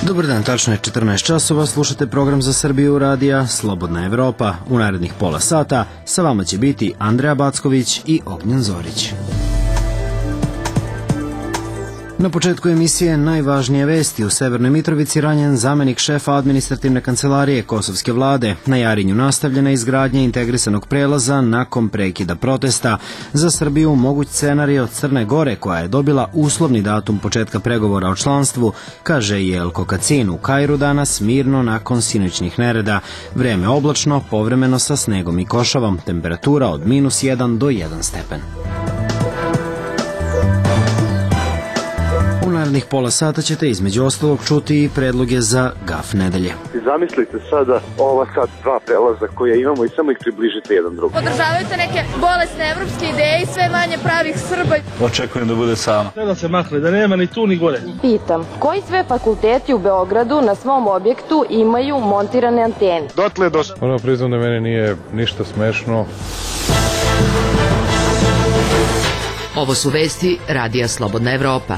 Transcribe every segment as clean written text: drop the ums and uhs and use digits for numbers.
Dobar dan, tačno je 14 časova, slušate program za Srbiju radija Slobodna Evropa. U narednih pola sata sa vama će biti Andreja Backović i Ognjen Zorić. Na početku emisije najvažnije vesti. U Severnoj Mitrovici ranjen zamenik šefa administrativne kancelarije kosovske vlade. Na Jarinju nastavljena izgradnja integrisanog prelaza nakon prekida protesta. Za Srbiju moguć scenarij od Crne Gore, koja je dobila uslovni datum početka pregovora o članstvu, kaže Jelko Kacin. U Kairu danas mirno nakon sinoćnih nereda. Vreme oblačno, povremeno sa snegom i košavom. Temperatura od -1 do 1 stepen. U narednih pola sata ćete između ostalog čuti i predloge za GAF nedelje. Zamislite sada ova sad dva prelaza koje imamo i samo ih približite jedan drugom. Podržavajte neke bolesne evropske ideje i sve manje pravih Srba. Očekujem da bude sama. Da se makne, da nema ni tu ni gore. Pitam, koji sve fakulteti u Beogradu na svom objektu imaju montirane antene? Dotle do... Priznam da meni nije ništa smešno. Ovo su vesti radija Slobodna Evropa.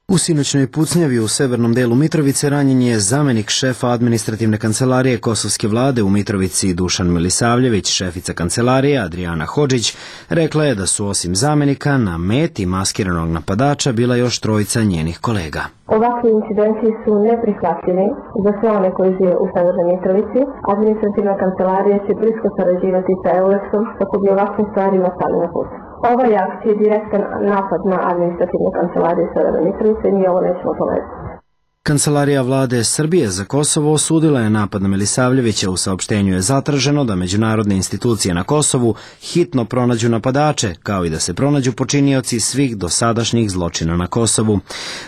U sinoćnoj pucnjavi u severnom delu Mitrovice ranjen je zamenik šefa administrativne kancelarije kosovske vlade u Mitrovici Dušan Milisavljević. Šefica kancelarije Adriana Hodžić rekla je da su osim zamenika na meti maskiranog napadača bila još trojica njenih kolega. Ovakvi incidenti su neprihvatljivi za sve one koji žive u Severnoj Mitrovici. Administrativna kancelarija će blisko sarađivati sa EULEX-om kako bi ovakvim stvarima stali na put. Ova je akcija direktan napad na administrativnu kancelariju Severne Mitrovice i mi ovo nećemo tolerirati. Kancelarija vlade Srbije za Kosovo osudila je napad na Milisavljevića. U saopštenju je zatraženo da međunarodne institucije na Kosovu hitno pronađu napadače, kao i da se pronađu počinioci svih dosadašnjih zločina na Kosovu.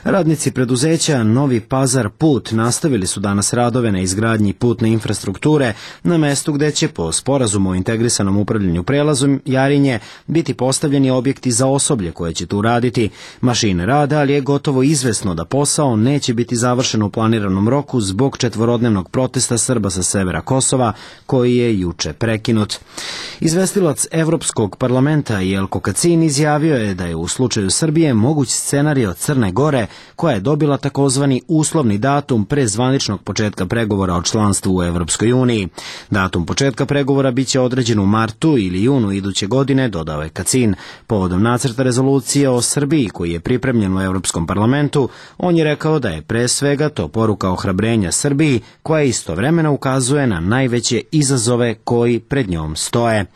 Radnici preduzeća Novi Pazar Put nastavili su danas radove na izgradnji putne infrastrukture na mestu gde će po sporazumu o integrisanom upravljanju prelazom Jarinje biti postavljeni objekti za osoblje koje će tu raditi. Mašine rade, ali je gotovo izvesno da posao neće biti završeno u planiranom roku zbog četvorodnevnog protesta Srba sa severa Kosova, koji je juče prekinut. Izvestilac Evropskog parlamenta Jelko Kacin izjavio je da je u slučaju Srbije moguć scenarij od Crne Gore, koja je dobila takozvani uslovni datum pre zvaničnog početka pregovora o članstvu u Evropskoj uniji. Datum početka pregovora biće određen u martu ili junu iduće godine, dodao je Kacin. Povodom nacrta rezolucije o Srbiji koji je pripremljen u Evropskom parlamentu, on je rekao da je pre svega to poruka ohrabrenja Srbiji, koja istovremeno ukazuje na najveće izazove koji pred njom stoje.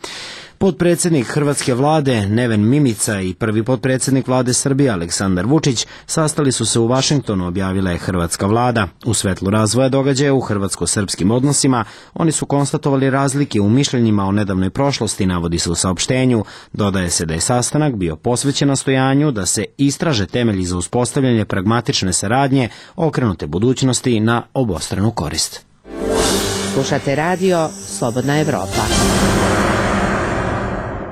Potpredsjednik hrvatske vlade Neven Mimica i prvi potpredsjednik vlade Srbije Aleksandar Vučić sastali su se u Vašingtonu, objavila je hrvatska vlada. U svetlu razvoja događaja u hrvatsko-srpskim odnosima oni su konstatovali razlike u mišljenjima o nedavnoj prošlosti, navodi se u saopštenju. Dodaje se da je sastanak bio posvećen nastojanju da se istraže temelji za uspostavljanje pragmatične saradnje okrenute budućnosti na obostranu korist. Slušate radio Slobodna Evropa.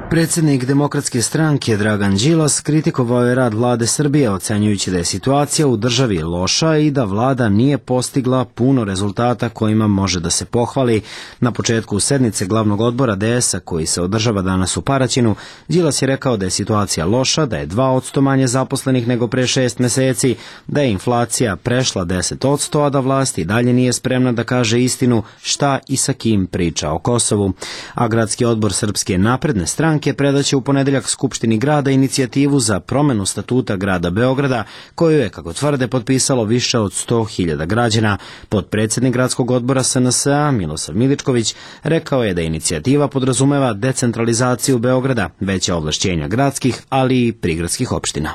Predsjednik Demokratske stranke Dragan Đilas kritikovao je rad vlade Srbije, ocenjujući da je situacija u državi loša i da vlada nije postigla puno rezultata kojima može da se pohvali. Na početku sednice glavnog odbora DS-a koji se održava danas u Paraćinu, Đilas je rekao da je situacija loša, da je 2% manje zaposlenih nego pre 6 meseci, da je inflacija prešla 10%, a da vlast i dalje nije spremna da kaže istinu šta i sa kim priča o Kosovu. A gradski odbor Srpske napredne stranke predaće u ponedeljak Skupštini grada inicijativu za promenu statuta grada Beograda, koju je, kako tvrde, potpisalo više od 100.000 građana. Potpredsjednik gradskog odbora SNS-a Milosav Miličković rekao je da inicijativa podrazumeva decentralizaciju Beograda, veća ovlašćenja gradskih, ali i prigradskih opština.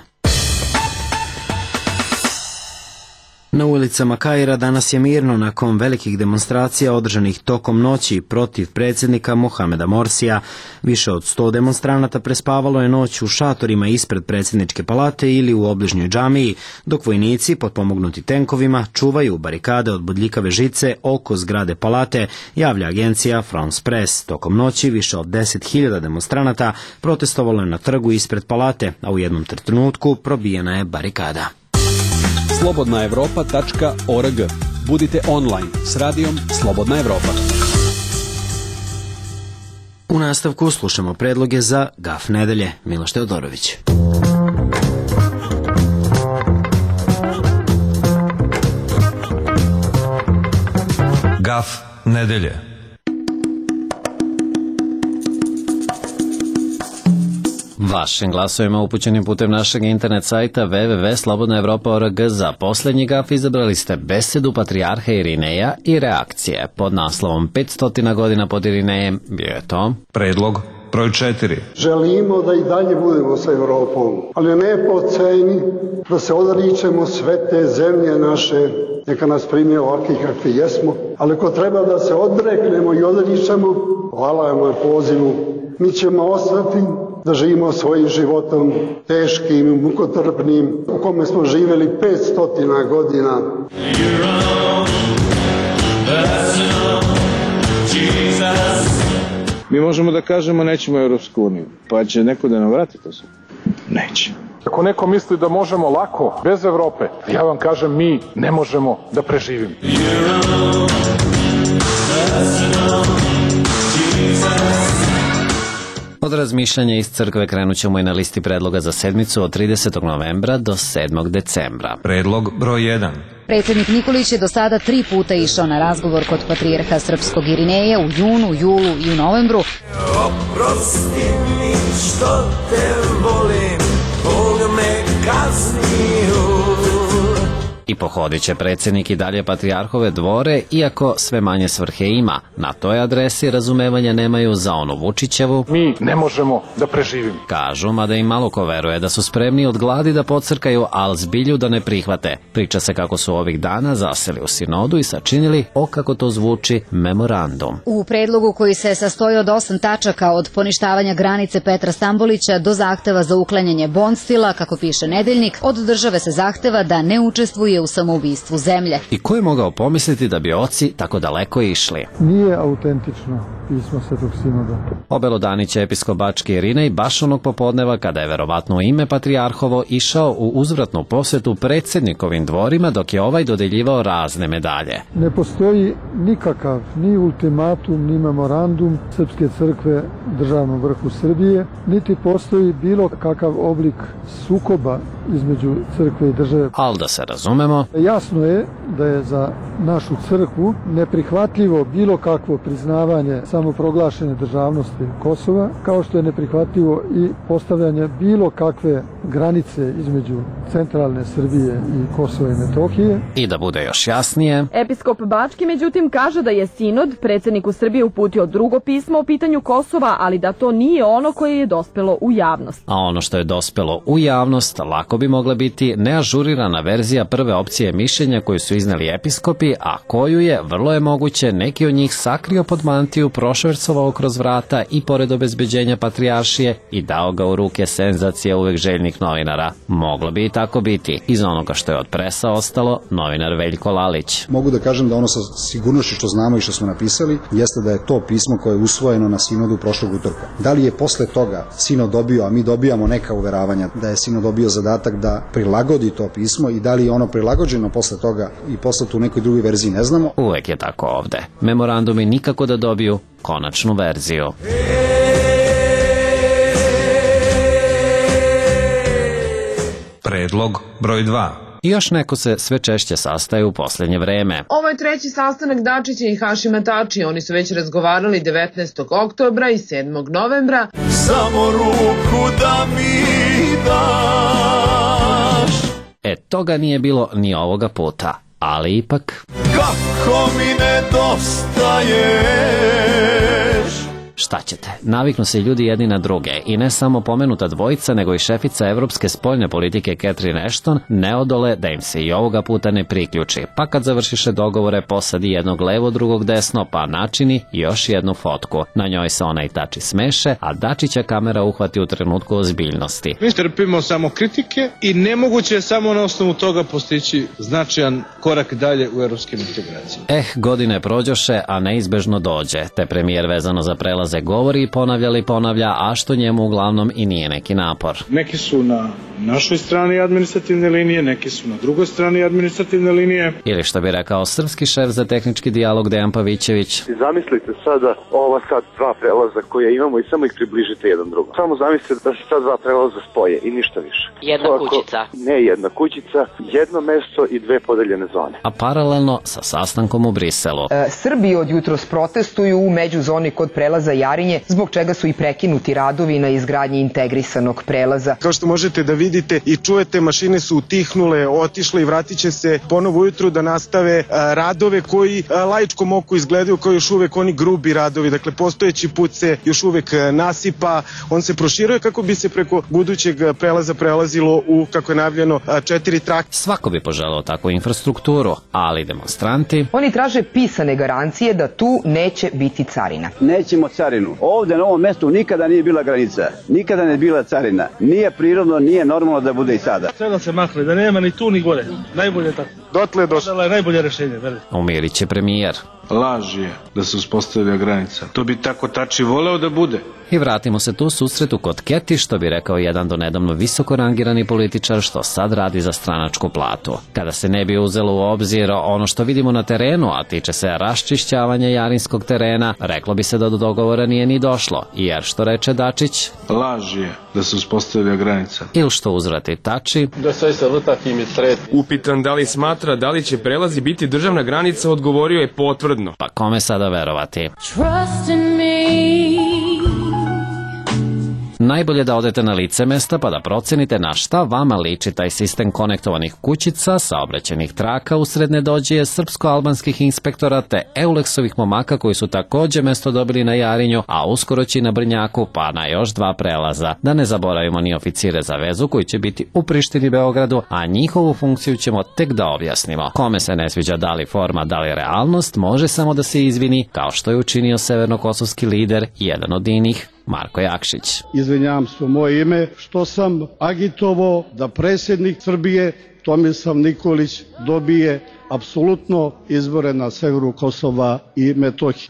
Na ulicama Kaira danas je mirno nakon velikih demonstracija održanih tokom noći protiv predsjednika Mohameda Morsija. Više od 100 demonstranata prespavalo je noć u šatorima ispred predsjedničke palate ili u obližnjoj džamiji, dok vojnici, potpomognuti tenkovima, čuvaju barikade od bodljikave žice oko zgrade palate, javlja agencija France Press. Tokom noći više od 10.000 demonstranata protestovalo je na trgu ispred palate, a u jednom trenutku probijena je barikada. slobodnaevropa.org. Budite online s radijom Slobodna Evropa. U nastavku slušamo predloge za GAF nedelje. Miloš Teodorović. Gaf nedelje. Vašim glasovima upućenim putem našeg internet sajta www.slobodnaevropa.org za posljednji gaf izabrali ste besedu patrijarha Irineja i reakcije. Pod naslovom 500 godina pod Irinejem bio je to Predlog broj 4. Želimo da i dalje budemo sa Evropom, ali ne po ceni da se odričemo sve te zemlje naše, neka nas prime ovakvi kakvi jesmo, ali ako treba da se odreknemo i odričemo, hvala vam na pozivu, mi ćemo ostati da živimo svojim životom teškim i mukotrpnim u kome smo živjeli 500 godina. Mi možemo da kažemo nećemo u Europsku uniju, pa će neko da nam vrati to sve? Neće. Ako neko misli da možemo lako, bez Evrope, ja vam kažem, mi ne možemo da preživimo. Od razmišljanja iz crkve krenut ćemo i na listi predloga za sedmicu od 30. novembra do 7. decembra. Predlog broj 1. Predsjednik Nikolić je do sada 3 puta išao na razgovor kod patrijarha srpskog Irineja u junu, julu i u novembru. Oprosti mi što te volim, Bog me kaznio. I pohodit će predsjednik i dalje patrijarhove dvore, iako sve manje svrhe ima. Na toj adresi razumevanja nemaju za onu Vučićevu. Mi ne možemo da preživimo. Kažu, mada im malo ko veruje da su spremni od gladi da pocrkaju, al zbilju da ne prihvate. Priča se kako su ovih dana zaseli u sinodu i sačinili, kako to zvuči, memorandum. U predlogu koji se sastoji od 8 tačaka, od poništavanja granice Petra Stambolića do zahteva za uklanjanje Bonstila, kako piše Nedeljnik, od države se zahteva da ne učestvuje u samoubistvu zemlje. I ko je mogao pomisliti da bi oci tako daleko išli? Nije autentično pismo Svetog Sinoda. Obelodaniće episkop Bački Irinej baš onog popodneva kada je verovatno ime patrijarhovo išao u uzvratnu posjetu predsjednikovim dvorima dok je ovaj dodeljivao razne medalje. Ne postoji nikakav ni ultimatum ni memorandum Srpske crkve državnom vrhu Srbije, niti postoji bilo kakav oblik sukoba između crkve i države. Al da se razumemo, jasno je da je za našu crkvu neprihvatljivo bilo kakvo priznavanje samoproglašene državnosti Kosova, kao što je neprihvatljivo i postavljanje bilo kakve granice između centralne Srbije i Kosova i Metohije. I da bude još jasnije, Episkop Bački međutim kaže da je sinod predsjedniku Srbije uputio drugo pismo o pitanju Kosova, ali da to nije ono koje je dospelo u javnost. A ono što je dospelo u javnost lako bi mogla biti neažurirana verzija prve opcije mišljenja koju su izneli episkopi, a koju je, vrlo je moguće, neki od njih sakrio pod mantiju, prošvercovao kroz vrata i pored obezbeđenja patrijaršije i dao ga u ruke senzacija uvek željnih novinara. Moglo bi i tako biti. Iz onoga što je od presa ostalo, novinar Veljko Lalić. Mogu da kažem da ono sa sigurnošću što znamo i što smo napisali, jeste da je to pismo koje je usvojeno na sinodu prošlog utorka. Da li je posle toga sinod dobio, a mi dobijamo neka uveravanja da je sinod dobio zadatak da prilagodi to pismo i da li je ono prilagođeno posle toga i poslato u nekoj drugoj verziji, ne znamo. Uvek je tako ovde. Memorandumi nikako da dobiju konačnu verziju. Predlog broj 2. I još neko se sve češće sastaje u posljednje vreme. Ovo je treći sastanak Dačića i Hašima Tačija. Oni su već razgovarali 19. oktobra i 7. novembra. Samo ruku da mi daš. Toga nije bilo ni ovoga puta, ali ipak... Kako mi nedostaješ. Šta ćete? Naviknu se ljudi jedni na druge i ne samo pomenuta dvojica, nego i šefica evropske spoljne politike Catherine Ashton ne odole da im se i ovoga puta ne priključi, pa kad završiše dogovore posadi jednog levo, drugog desno, pa načini još jednu fotku. Na njoj se ona i Tači smeše, a Dačića kamera uhvati u trenutku ozbiljnosti. Mi trpimo samo kritike i nemoguće je samo na osnovu toga postići značajan korak dalje u evropskim integracijama. Godine prođoše, a neizbežno dođe, te premijer vezano za prelaz prelaze govori i ponavlja, a što njemu uglavnom i nije neki napor. Neki su na našoj strani administrativne linije, neki su na drugoj strani administrativne linije. Ili što bi rekao srpski šef za tehnički dijalog Dejan Pavićević. Zamislite sada ova sad dva prelaza koje imamo i samo ih približite jedan drugom. Samo zamislite da se sad dva prelaza spoje i ništa više. Jedna kućica. Ne jedna kućica, jedno mesto i dve podeljene zone. A paralelno sa sastankom u Briselu. Srbi od jutros protestuju u međuzoni kod prelaza Jarinje, zbog čega su i prekinuti radovi na izgradnji integrisanog prelaza. Kao što možete da vidite i čujete, mašine su utihnule, otišle i vratit će se ponovo ujutru da nastave radove koji laičkom oku izgledaju kao još uvek oni grubi radovi. Dakle, postojeći put se još uvek nasipa, on se proširuje kako bi se preko budućeg prelaza prelazilo u, kako je najavljeno, 4 trake. Svako bi poželeo takvu infrastrukturu, ali demonstranti... Oni traže pisane garancije da tu neće biti carina. Nećemo carinu. Ovde na ovom mestu nikada nije bila granica, nikada ne bila carina. Nije prirodno, nije normalno da bude i sada. Sve da se makne, da nema ni tu ni gore. Najbolje tako. Dotle došlo. Je najbolje rešenje. Umirit će premijer. Laž je da se uspostavlja granica. To bi tako Tači voleo da bude. I vratimo se tu susretu kod Keti, što bi rekao jedan donedavno visoko rangirani političar što sad radi za stranačku platu. Kada se ne bi uzelo u obzir ono što vidimo na terenu, a tiče se raščišćavanja jarinskog terena, reklo bi se da do dogovora nije ni došlo, jer što reče Dačić? Laž je da se uspostavlja granica. Ili što uzvrati Tači? Da sve se vrtati mi sretni. Upitan da li smatra da li će prelazi biti državna granica, odgovorio je potvrdno. Pa kome sada verovati? Trust in me. Najbolje da odete na lice mesta pa da procenite na šta vama liči taj sistem konektovanih kućica, saobraćajnih traka usred nedođije srpsko-albanskih inspektora te Eulexovih momaka koji su takođe mesto dobili na Jarinju, a uskoro će i na Brnjaku pa na još dva prelaza. Da ne zaboravimo ni oficire za vezu koji će biti u Prištini i Beogradu, a njihovu funkciju ćemo tek da objasnimo. Kome se ne sviđa da li forma, da li realnost, može samo da se izvini, kao što je učinio severnokosovski lider, jedan od inih, Marko Jakšić. Izvinjavam se u moje ime što sam agitovao da predsjednik Srbije Tomislav Nikolić dobije apsolutno izbore na severu Kosova i Metohije.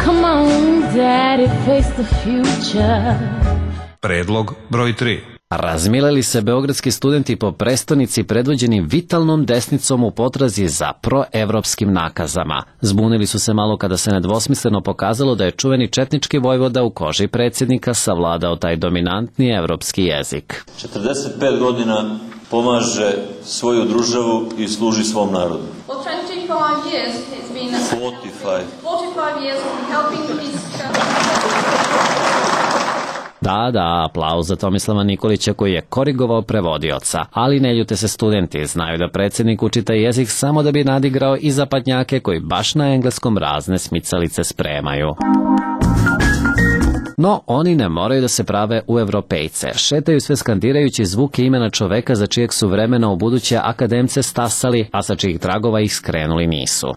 Come on, daddy, face the future. Predlog broj 3. Razmileli se beogradski studenti po prestonici predvođeni vitalnom desnicom u potrazi za proevropskim nakazama. Zbunili su se malo kada se nedvosmisleno pokazalo da je čuveni četnički vojvoda u koži predsjednika savladao taj dominantni evropski jezik. 45 godina pomaže svoju državu i služi svom narodu. 45 years has been 45 years helping his Da, aplauz za Tomislava Nikolića koji je korigovao prevodioca, ali ne ljute se studenti, znaju da predsjednik uči taj jezik samo da bi nadigrao i zapadnjake koji baš na engleskom razne smicalice spremaju. No, oni ne moraju da se prave u evropejce. Šetaju sve skandirajući zvuke imena čoveka za čijeg su vremena u buduće akademce stasali, a sa čijih tragova ih skrenuli nisu.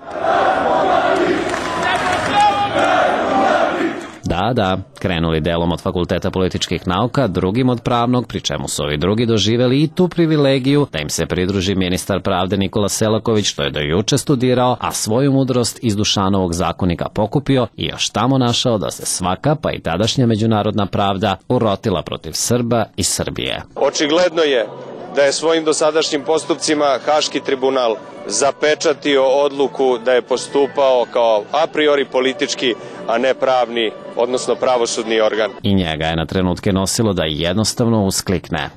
Da, krenuli delom od Fakulteta političkih nauka, drugim od pravnog, pri čemu su ovi drugi doživeli i tu privilegiju da im se pridruži ministar pravde Nikola Selaković, što je do juče studirao, a svoju mudrost iz Dušanovog zakonika pokupio i još tamo našao da se svaka, pa i tadašnja međunarodna pravda, urotila protiv Srba i Srbije. Očigledno je da je svojim dosadašnjim postupcima Haški tribunal zapečatio odluku da je postupao kao a priori politički, a ne pravni, odnosno pravosudni organ. I njega je na trenutke nosilo da jednostavno usklikne.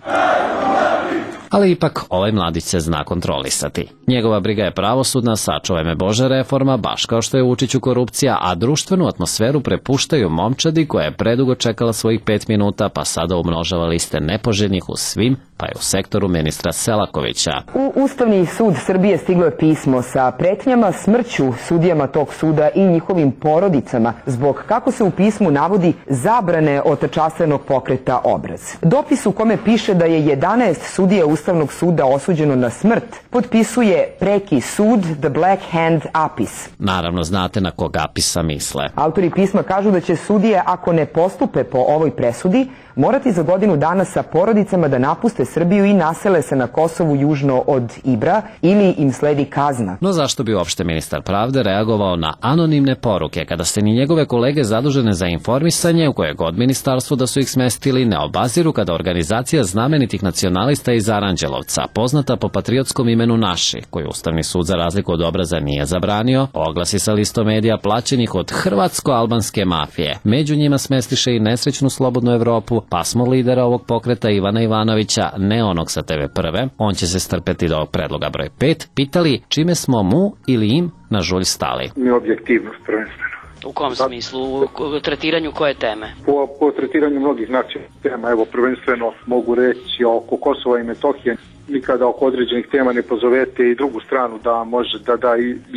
Ali ipak ovaj mladić se zna kontrolisati. Njegova briga je pravosudna, sačuvaj me Bože reforma, baš kao što je Vučiću korupcija, a društvenu atmosferu prepuštaju momčadi koja je predugo čekala svojih 5 minuta, pa sada umnožava liste nepoželjnih u svim, pa je u sektoru ministra Selakovića. U Ustavni sud Srbije stiglo je pismo sa pretnjama smrću sudijama tog suda i njihovim porodicama zbog, kako se u pismu navodi, zabrane od časovnog pokreta Obraz. Dopis u kome piše da je 11 sudija Ustavnog suda osuđeno na smrt potpisuje preki sud The Black Hand Apis. Naravno znate na kog Apisa misle. Autori pisma kažu da će sudije, ako ne postupe po ovoj presudi, morati za godinu dana sa porodicama da napuste Srbiju i nasele se na Kosovu južno od Ibra ili im sledi kazna. No zašto bi uopšte ministar pravde reagovao na anonimne poruke kada se ni njegove kolege zadužene za informisanje u koje god ministarstvo da su ih smestili ne obaziru kada organizacija znamenitih nacionalista iz Aranđelovca, poznata po patriotskom imenu Naši, koju Ustavni sud za razliku od obraza nije zabranio, oglasi sa listom medija plaćenih od hrvatsko-albanske mafije. Među njima smestiše i nesrećnu Slobodnu Evropu, pa smo lidera ovog pokreta Ivana Ivanovića, ne onog sa TV Prve, on će se strpeti do ovog predloga broj 5, pitali čime smo mu ili im na žulj stali. Mi objektivnost prvenstveno. U kom smislu? U tretiranju koje teme? Po tretiranju mnogih nacionalnih tema. Evo, prvenstveno mogu reći oko Kosova i Metohije. Nikada oko određenih tema ne pozovete i drugu stranu da može da da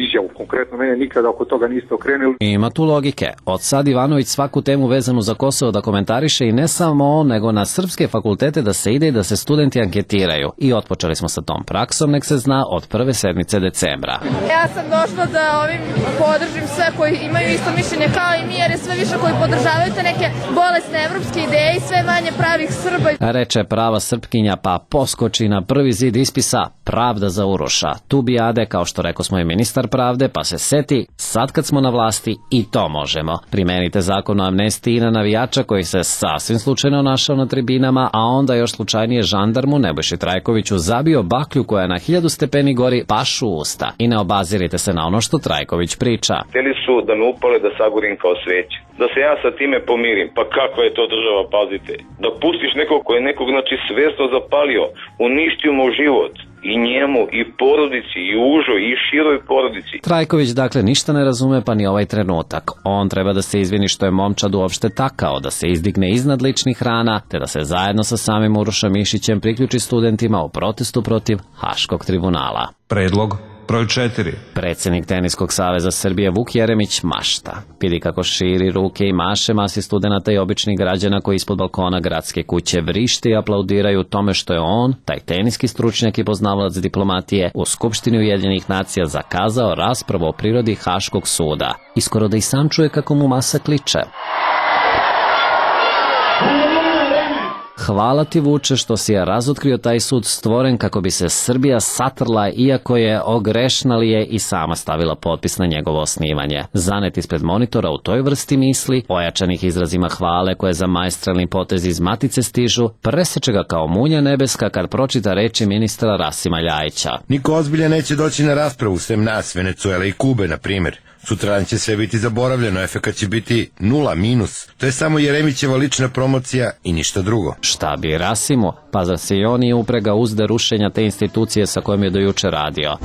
izjavu. Konkretno mene nikada oko toga niste okrenuli. Ima tu logike. Od sad Ivanović svaku temu vezanu za Kosovo da komentariše i ne samo on, nego na srpske fakultete da se ide i da se studenti anketiraju. I otpočeli smo sa tom praksom, nek se zna, od prve sedmice decembra. Ja sam došla da ovim podržim sve koji imaju isto mišljenje kao i mi, jer je sve više koji podržavaju te neke bolesne evropske ideje i sve manje pravih Srba. Reče prava Srpkinja, pa poskoči na prvi zid ispisa Pravda za Uroša. Tu bijade, kao što rekao smo i ministar pravde, pa se seti, sad kad smo na vlasti i to možemo. Primenite zakon o amnestiji na navijača koji se sasvim slučajno našao na tribinama, a onda još slučajnije žandarmu Nebojši Trajkoviću zabio baklju koja na 1000 stepeni gori pašu u usta. I ne obazirite se na ono što Trajković priča. Hteli su da me upale da sagorim kao sveće. Da se ja sa time pomirim. Pa kakva je to država, pazite. Da pustiš nekog koji je nekog, znači, svesno zapalio, uništio mu život. I njemu, i porodici, i užoj, i široj porodici. Trajković dakle ništa ne razume pa ni ovaj trenutak. On treba da se izvini što je momčad uopšte takao, da se izdigne iznad ličnih rana, te da se zajedno sa samim Urošem Mišićem priključi studentima u protestu protiv Haškog tribunala. Predlog broj 4. Predsednik Teniskog saveza Srbije Vuk Jeremić mašta. Vidi kako širi ruke i maše masi studenata i običnih građana koji ispod balkona gradske kuće vrište i aplaudiraju tome što je on, taj teniski stručnjak i poznavalac diplomatije, u Skupštini Ujedinjenih nacija zakazao raspravu o prirodi Haškog suda. I skoro da i sam čuje kako mu masa kliče. Hvala ti, Vuče, što si je razotkrio taj sud stvoren kako bi se Srbija satrla, iako je ogrešnalije i sama stavila potpis na njegovo osnivanje. Zanet ispred monitora u toj vrsti misli, ojačanih izrazima hvale koje za maestralni potez iz matice stižu, preseče ga kao munja nebeska kad pročita reči ministra Rasima Ljajića. Niko ozbiljan neće doći na raspravu, sem nas, Venecuele i Kube, na primjer. Sutradan će sve biti zaboravljeno, efekat će biti 0 minus. To je samo Jeremićeva lična promocija i ništa drugo. Šta bi Rasimu? Pa zar se i on nije upregao uzde rušenja te institucije sa kojom je do juče radio?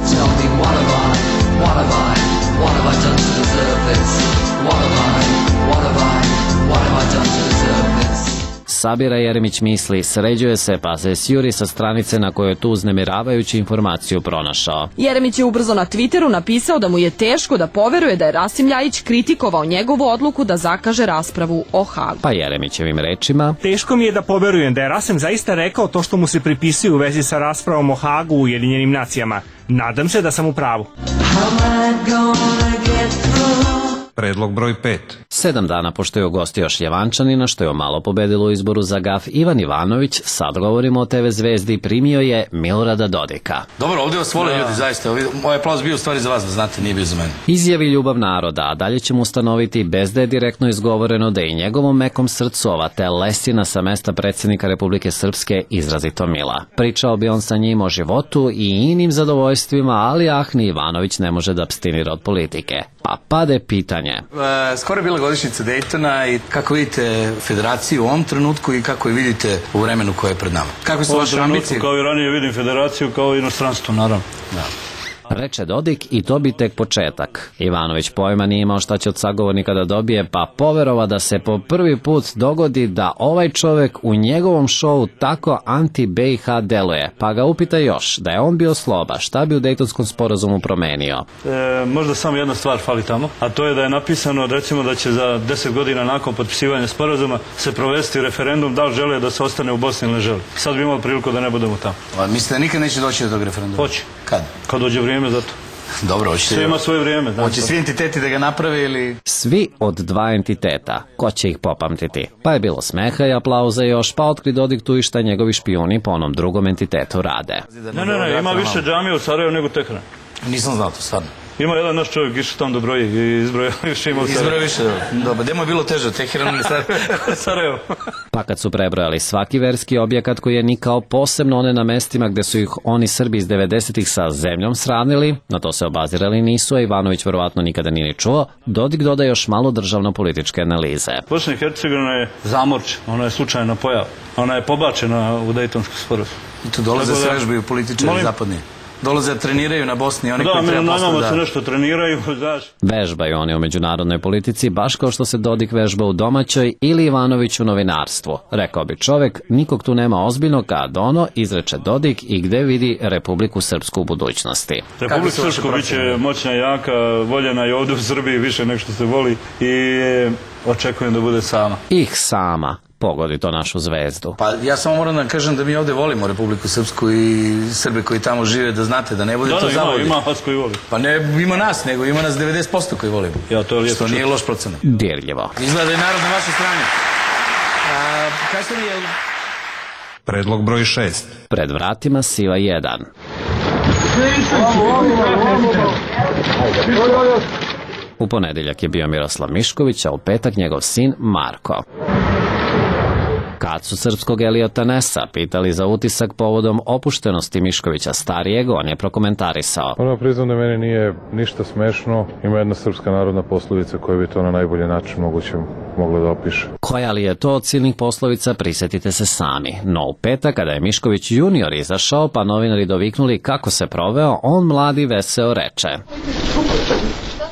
Sabira Jeremić misli, sređuje se pa se sjuri sa stranice na kojoj je tu uznemiravajuću informaciju pronašao. Jeremić je ubrzo na Twitteru napisao da mu je teško da poveruje da je Rasim Ljajić kritikovao njegovu odluku da zakaže raspravu o Hagu. Pa Jeremićevim rečima: teško mi je da poverujem da je Rasim zaista rekao to što mu se pripisuje u vezi sa raspravom o Hagu u Ujedinjenim nacijama. Nadam se da sam u pravu. Predlog broj 5. 7 dana pošto je ugostio Šljevančanina, što je malo pobedilo u izboru za GAF, Ivan Ivanović, sad govorimo o TV zvezdi, primio je Milorada Dodika. Dobro, ovdje vas vole ljudi, zaista. Moj aplauz bio u stvari za vas, da znate, nije bio za mene. Izjavi ljubav naroda, a dalje ćemo ustanoviti, bez da je direktno izgovoreno, da je i njegovom mekom srcu ova telesina sa mesta predsjednika Republike Srpske izrazito mila. Pričao bi on sa njim o životu i inim zadovoljstvima, ali ni Ivanović ne može da apstinira od politike. Pa pade pitanje. Skoro je bila godišnjica Dejtona i kako vidite federaciju u ovom trenutku i kako je vidite u vremenu koje je pred nama? Kako su vaše ambicije? Kao i ranije vidim federaciju kao i inostranstvo, naravno. Da. Reče Dodik i to bi tek početak. Ivanović pojma nije imao šta će od sagovornika da dobije, pa poverova da se po prvi put dogodi da ovaj čovek u njegovom šovu tako anti-BiH deluje. Pa ga upita još, da je on bio sloba, šta bi u Dejtonskom sporazumu promenio? Možda samo jedna stvar fali tamo, a to je da je napisano, recimo, da će za 10 godina nakon potpisivanja sporazuma se provesti referendum da li žele da se ostane u Bosni ili ne žele. Sad bi imali priliku da ne budemo tamo. Mislite da nikad neće doći do tog referenduma? Hoće. Kad? Kad dođe vrijeme za to. Dobro, hoćete... Sve ima svoje vrijeme. Hoće svi entiteti da ga naprave ili... Svi od dva entiteta. Ko će ih popamtiti? Pa je bilo smeha i aplauza još, pa otkri Dodik tu i šta njegovi špijuni po onom drugom entitetu rade. Ne, ima više džamija u Sarajevu nego Teheran. Nisam znao to, stvarno. Ima jedan naš čovjek išao tamo da broji i izbroja više ima u Sarajevu. Izbroja više, dobro. Gde mu je bilo teže, Teheran ili Sarajevo? Pa kad su prebrojali svaki verski objekat koji je nikao, posebno one na mestima gde su ih oni Srbi iz 90-ih sa zemljom sravnili, na to se obazirali nisu, a Ivanović verovatno nikada nije ni čuo, Dodik doda još malo državno-političke analize. Bosna i Hercegovina je zamorč, ona je slučajna pojava, ona je pobačena u Dejtonsku sporazum. I tu dolaze se vežbaju političari zapadni. Dolaze da treniraju na Bosni, oni koji treba posle da... Da, se nešto treniraju, znaš. Vežbaju oni u međunarodnoj politici, baš kao što se Dodik vežba u domaćoj ili Ivanović u novinarstvu. Rekao bi čovek, nikog tu nema ozbiljno kad ono, izreče Dodik i gde vidi Republiku Srpsku u budućnosti. Republika Srpsku biće moćna, jaka, voljena i ovdje u Srbiji više nego što se voli i očekujem da bude sama. Sama. Pogodi to našu zvezdu. Pa ja samo moram da kažem da mi ovde volimo Republiku Srpsku i Srbe koji tamo žive, da znate, da ne bude to zavodi. Ima vas koji voli. Pa ne ima nas, nego ima nas 90% koji volimo. Ja, to je lijepo. Što nije loš procenat. Dirljivo. Izgleda da je narod na vašoj strani. Kažete mi je... Predlog broj 6. Pred vratima Siva 1. U ponedeljak je bio Miroslav Mišković, a u petak njegov sin Marko. Kad su srpskog Eliota Nesa pitali za utisak povodom opuštenosti Miškovića starijeg, on je prokomentarisao. Ono priznam da meni nije ništa smešno, ima jedna srpska narodna poslovica koja bi to na najbolji način moguće mogla da opiše. Koja li je to od silnih poslovica, prisetite se sami. No u petak, kada je Mišković junior izašao, pa novinari doviknuli kako se proveo, on mladi veseo reče: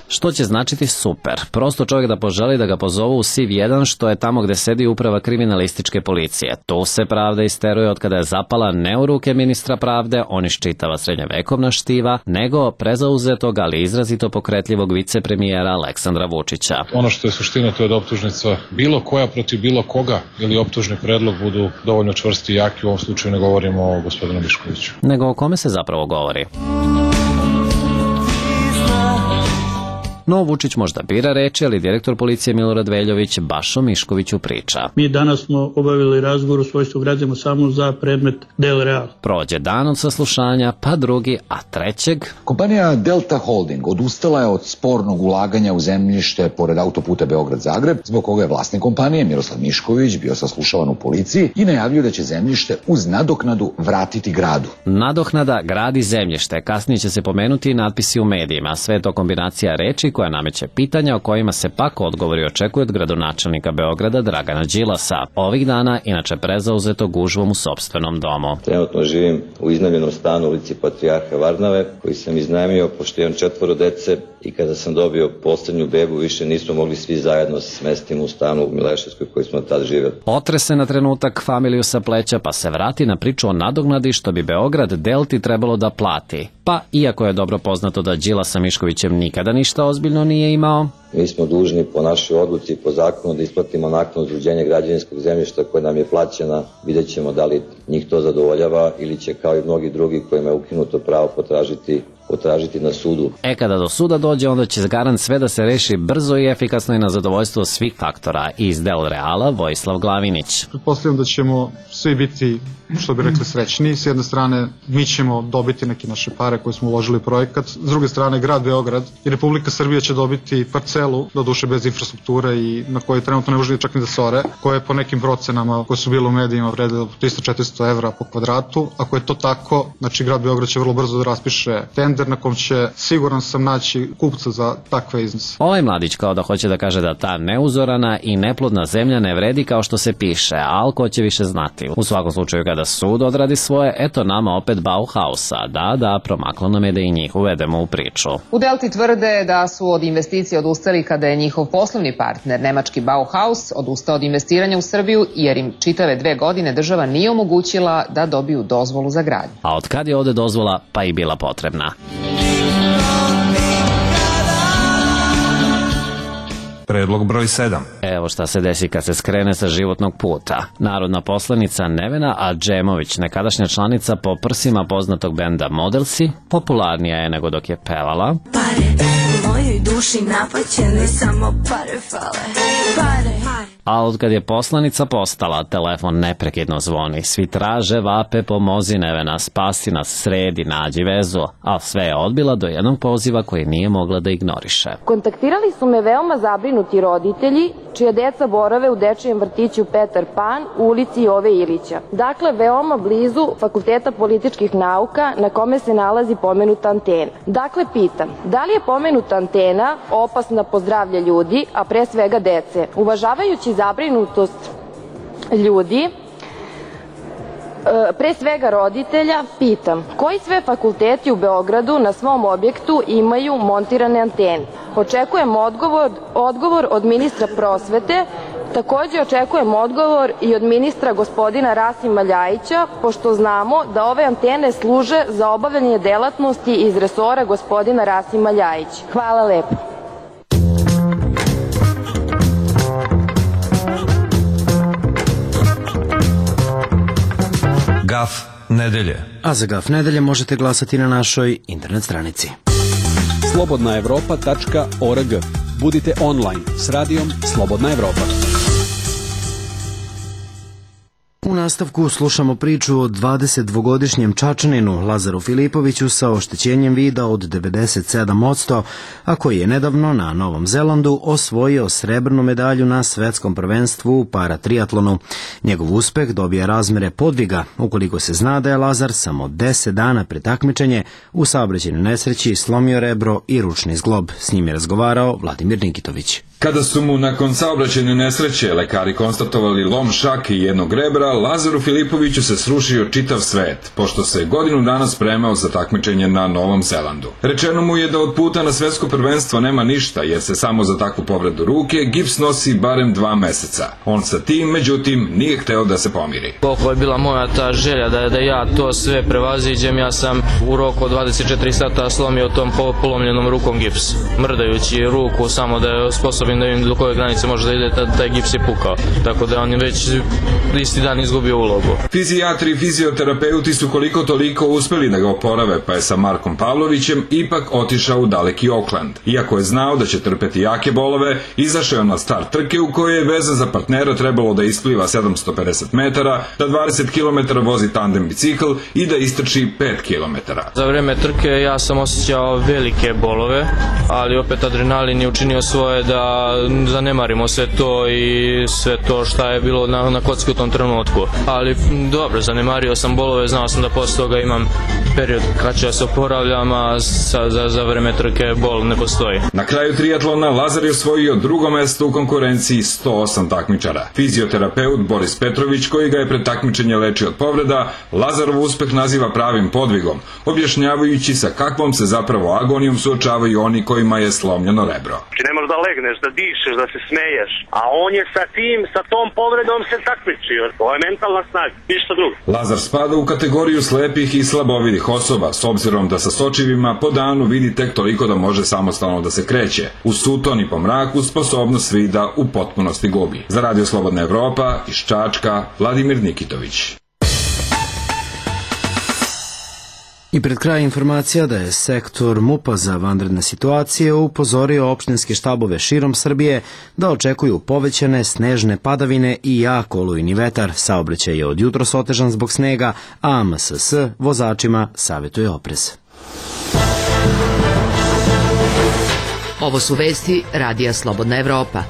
što će značiti super. Prosto čovjek da poželi da ga pozovu u SIV 1, što je tamo gde sedi uprava kriminalističke policije. Tu se pravda isteruje od kada je zapala ne u ruke ministra pravde, on iščitava srednjevekovna štiva, nego prezauzetog, ali izrazito pokretljivog vicepremijera Aleksandra Vučića. Ono što je suština, to je da optužnica bilo koja protiv bilo koga ili optužni predlog budu dovoljno čvrsti i jaki. U ovom slučaju ne govorimo o gospodinu Miškoviću. Nego o kome se zapravo govori? No, Vučić možda bira reči, ali direktor policije Milorad Veljović baš o Miškoviću priča. Mi danas smo obavili razgovor u svojstvu građana samo za predmet Del Real. Prođe dan od saslušanja, pa drugi, a trećeg... Kompanija Delta Holding odustala je od spornog ulaganja u zemljište pored autoputa Beograd-Zagreb, zbog koga je vlasnik kompanije Miroslav Mišković bio saslušavan u policiji i najavio da će zemljište uz nadoknadu vratiti gradu. Nadoknada gradi zemljište, kasnije će se pomenuti i natpisi u medijima, sve to kombinacija reči koja nameće pitanja o kojima se pak odgovori očekuje od gradonačelnika Beograda Dragana Đilasa. Ovih dana inače prezauzeto gužvom u sopstvenom domu. Trenutno živim u iznajmljenom stanu u ulici Patrijarha Varnave, koji sam iznajmio pošto imam 4 dece i kada sam dobio poslednju bebu više nismo mogli svi zajedno se smestiti u stanu u Mileševskoj koji smo tad živjeli. Otrese na trenutak familiju sa pleća pa se vrati na priču o nadoknadi što bi Beograd Delti trebalo da plati. Pa, iako je dobro poznato da Đila sa Miškovićem nikada ništa ozbiljno nije imao, mi smo dužni po našoj odluci i po zakonu da isplatimo naknadu za uređenje građevinskog zemljišta koja nam je plaćena. Vidjet ćemo da li njih to zadovoljava ili će kao i mnogi drugi kojima je ukinuto pravo potražiti na sudu. Kada do suda dođe, onda će garant sve da se reši brzo i efikasno i na zadovoljstvo svih faktora. Iz Del Reala, Vojislav Glavinić. Pretpostavljam da ćemo svi biti, što bi rekli, srećni. S jedne strane, mi ćemo dobiti neke naše pare koje smo uložili u projekat. S druge strane, grad Beograd i Republika Srbija će dobiti parcelu, doduše bez infrastrukture i na kojoj trenutno ne može čak ni da se ore, koje po nekim procenama koje su bile u medijima vrede 300-400 evra po kvadratu. Ako je to tako, znači grad Beograd će vrlo brzo da raspiše tender na kom će, siguran sam, naći kupca za takve iznose. Ovaj mladić kao da hoće da kaže da ta neuzorana i neplodna zemlja ne vredi kao što se piše, a ko će više znati. U svakom slučaju kada sud odradi svoje, eto nama opet Bauhausa. Da, promaklo nam je da i njih uvedemo u priču. U Delti tvrde da su od investicije odustali kada je njihov poslovni partner, nemački Bauhaus, odustao od investiranja u Srbiju jer im čitave 2 godine država nije omogućila da dobiju dozvolu za gradnju. A od kad je ovde dozvola, pa i bila potrebna. Predlog broj 7. Evo šta se desi kad se skrene sa životnog puta. Narodna poslanica Nevena Adžemović, nekadašnja članica po prsima poznatog benda Modelsi, popularnija je nego dok je pevala. Pare, u mojoj duši napaćene, samo pare fale. Pare. A od kad je poslanica postala, telefon neprekidno zvoni. Svi traže, vape, pomozi Nevena, spasi nas, sredi, nađi vezu. A sve je odbila do jednog poziva koji nije mogla da ignoriše. Kontaktirali su me veoma zabrinuti roditelji, čija deca borave u dečijem vrtiću Petar Pan u ulici Jove Ilića. Dakle, veoma blizu Fakulteta političkih nauka na kome se nalazi pomenuta antena. Dakle, pitam, da li je pomenuta antena opasna po zdravlje ljudi, a pre svega dece? Uvažavajući zabrinutost ljudi, pre svega roditelja, pitam, koji sve fakulteti u Beogradu na svom objektu imaju montirane antene? Očekujem odgovor od ministra prosvete, takođe očekujem odgovor i od ministra gospodina Rasima Ljajića, pošto znamo da ove antene služe za obavljanje delatnosti iz resora gospodina Rasima Ljajića. Hvala lepo. Gaf nedelje. A za Gaf nedelje možete glasati na našoj internet stranici. slobodnaevropa.org. Budite online s radijom Slobodna Evropa. U nastavku slušamo priču o 22-godišnjem Čačaninu Lazaru Filipoviću sa oštećenjem vida od 97%, a koji je nedavno na Novom Zelandu osvojio srebrnu medalju na svetskom prvenstvu u paratriatlonu. Njegov uspeh dobija razmere podviga, ukoliko se zna da je Lazar samo 10 dana pred takmičenje u saobraćajnoj nesreći slomio rebro i ručni zglob. S njim je razgovarao Vladimir Nikitović. Kada su mu nakon saobraćajne nesreće lekari konstatovali lom šake i jednog rebra, Lazaru Filipoviću se srušio čitav svet, pošto se godinu dana spremao za takmičenje na Novom Zelandu. Rečeno mu je da od puta na svetsko prvenstvo nema ništa, jer se samo za takvu povredu ruke gips nosi barem 2 meseca. On sa tim, međutim, nije hteo da se pomiri. Koliko je bila moja ta želja da ja to sve prevaziđem, ja sam u roku od 24 sata slomio tom polomljenom rukom gips, mrdajući ruku samo da je sposoban da vidim do koje granice može da ide, taj gips je pukao. Tako da on je već isti dan izgubio ulogu. Fizijatri i fizioterapeuti su koliko toliko uspeli da ga oporave, pa je sa Markom Pavlovićem ipak otišao u daleki Oakland. Iako je znao da će trpeti jake bolove, izašao na start trke u kojoj je vezan za partnera trebalo da ispliva 750 metara, da 20 km vozi tandem bicikl i da istrči 5 km. Za vreme trke ja sam osjećao velike bolove, ali opet adrenalin je učinio svoje da zanemarimo sve to i sve to šta je bilo na kocki u tom trenutku. Ali dobro, zanemario sam bolove, znao sam da posle toga imam period kad ću ja se oporavljam, a za vreme trke bol ne postoji. Na kraju triatlona Lazar je osvojio drugo mesto u konkurenciji 108 takmičara. Fizioterapeut Boris Petrović, koji ga je pred takmičenje lečio od povreda, Lazarov uspeh naziva pravim podvigom, objašnjavajući sa kakvom se zapravo agonijom suočavaju oni kojima je slomljeno rebro. Ne možeš da legneš, da dišeš, da se smeješ, a on je sa tom povredom se takmičio. To je mentalna snaga, ništa drugo. Lazar spada u kategoriju slepih i slabovidih osoba, s obzirom da sa sočivima po danu vidi tek toliko da može samostalno da se kreće. U suton i po mraku sposobnost vida u potpunosti gubi. Za Radio Slobodna Evropa iz Čačka, Vladimir Nikitović. I pred kraj informacija da je sektor MUP-a za vanredne situacije upozorio opštinske štabove širom Srbije da očekuju povećane snežne padavine i jak olujni vetar. Saobraćaj je od jutros otežan zbog snega, a MSS vozačima savjetuje oprez. Ovo su vesti Radija Slobodna Evropa.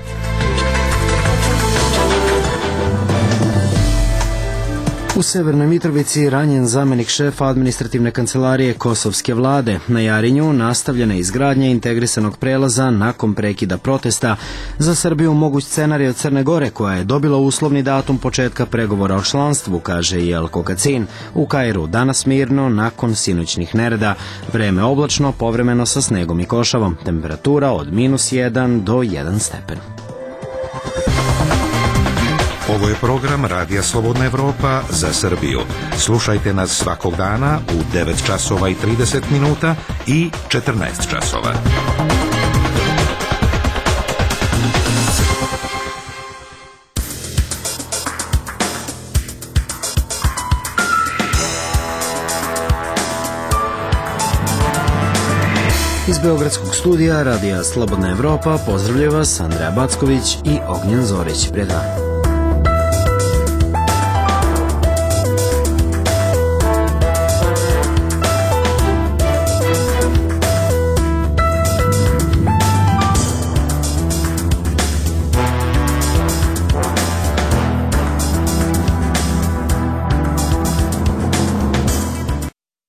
U Severnoj Mitrovici ranjen zamenik šefa administrativne kancelarije Kosovske vlade. Na Jarinju nastavljena izgradnja integrisanog prelaza nakon prekida protesta. Za Srbiju moguć scenarij od Crne Gore, koja je dobila uslovni datum početka pregovora o članstvu, kaže Jelko Kacin. U Kairu danas mirno nakon sinoćnih nereda. Vreme oblačno, povremeno sa snegom i košavom. Temperatura od -1 do 1 stepen. Ovo je program Radija Slobodna Evropa za Srbiju. Slušajte nas svakog dana u 9 časova i 30 minuta i 14 časova. Iz Beogradskog studija Radija Slobodna Evropa pozdravlja vas Andreja Backović i Ognjen Zorić. Prijatno.